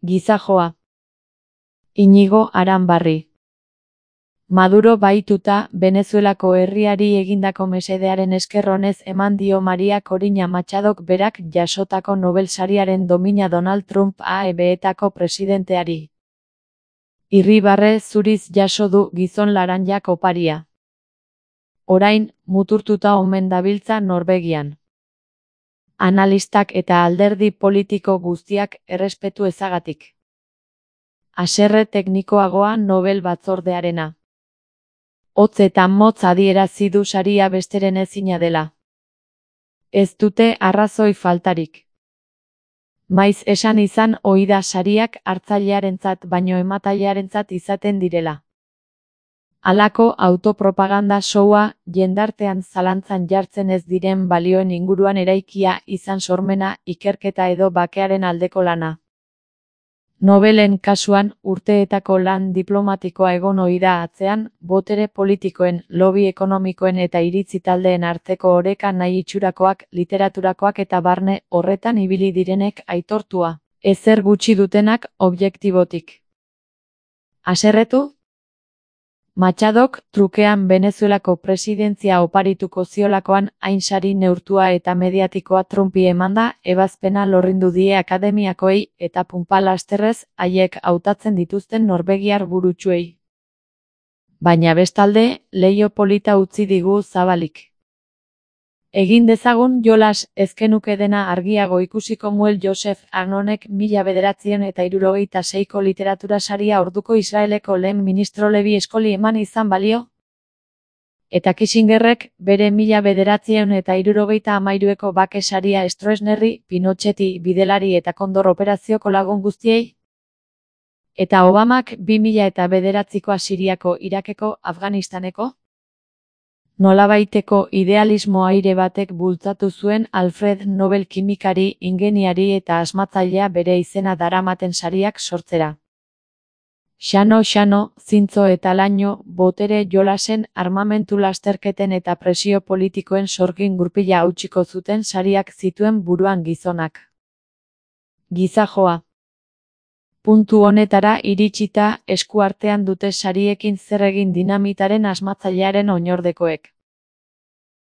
Gizajoa. Iñigo Aranbarri. Maduro bahituta, Venezuelako herriari egindako mesedearen esker onez eman dio Maria Corina Machadok berak jasotako Nobel sariaren domina Donald Trump AEB-etako presidenteari. Irribarre zuriz jaso du gizon laranjak oparia. Orain, muturtuta omen dabiltza Norvegian. Analistak eta alderdi politiko guztiak errespetu ezagatik. Haserre teknikoagoa Nobel batzordearena. Hotz eta motz adierazi du saria besteren ezina dela. Ez dute arrazoi faltarik. Maiz esan izan ohi da sariak hartzailearentzat baino ematzailearentzat izaten direla. Halako autopropaganda showa, jendartean zalantzan jartzen ez diren balioen inguruan eraikia izan sormena, ikerketa edo bakearen aldeko lana. Nobelen kasuan, urteetako lan diplomatikoa egon ohi da atzean, botere politikoen, lobby ekonomikoen eta iritzi taldeen arteko oreka nahi itxurakoak, literaturakoak eta barne horretan ibili direnek aitortua, ezer gutxi dutenak objektibotik. Haserretu? Machadok, trukean Venezuelako presidentzia oparituko ziolakoan hain sari neurtua eta mediatikoa Trumpi emanda, ebazpena lorrindu die akademiakoei eta punpa lasterrez haiek hautatzen dituzten norvegiar burutsuei. Baina bestalde, leiho polita utzi digu zabalik. Egin dezagun jolas, ezkenuke dena argiago ikusiko muel Joseph Agnonek 1976ko literatura saria orduko Israeleko lehen ministro Levi Eskoli eman izan balio? Eta Kissingerrek bere 1973ko bake saria Stroessnerri, Pinocheti, Bidelari eta Kondor operazioko lagun guztiei? Eta Obamak 2009ko Siriako, Irakeko, Afganistaneko? Nolabaiteko idealismo aire batek bultzatu zuen Alfred Nobel kimikari, ingeniari eta asmatzailea bere izena daramaten sariak sortzera. Xano, zintzo eta laino, botere jolasen, armamentu lasterketen eta presio politikoen sorgin gurpila hautsiko zuten sariak zituen buruan gizonak. Gizajoa. Puntu honetara iritsita, eskuartean dute sariekin zer egin dinamitaren asmatzailearen oinordekoek.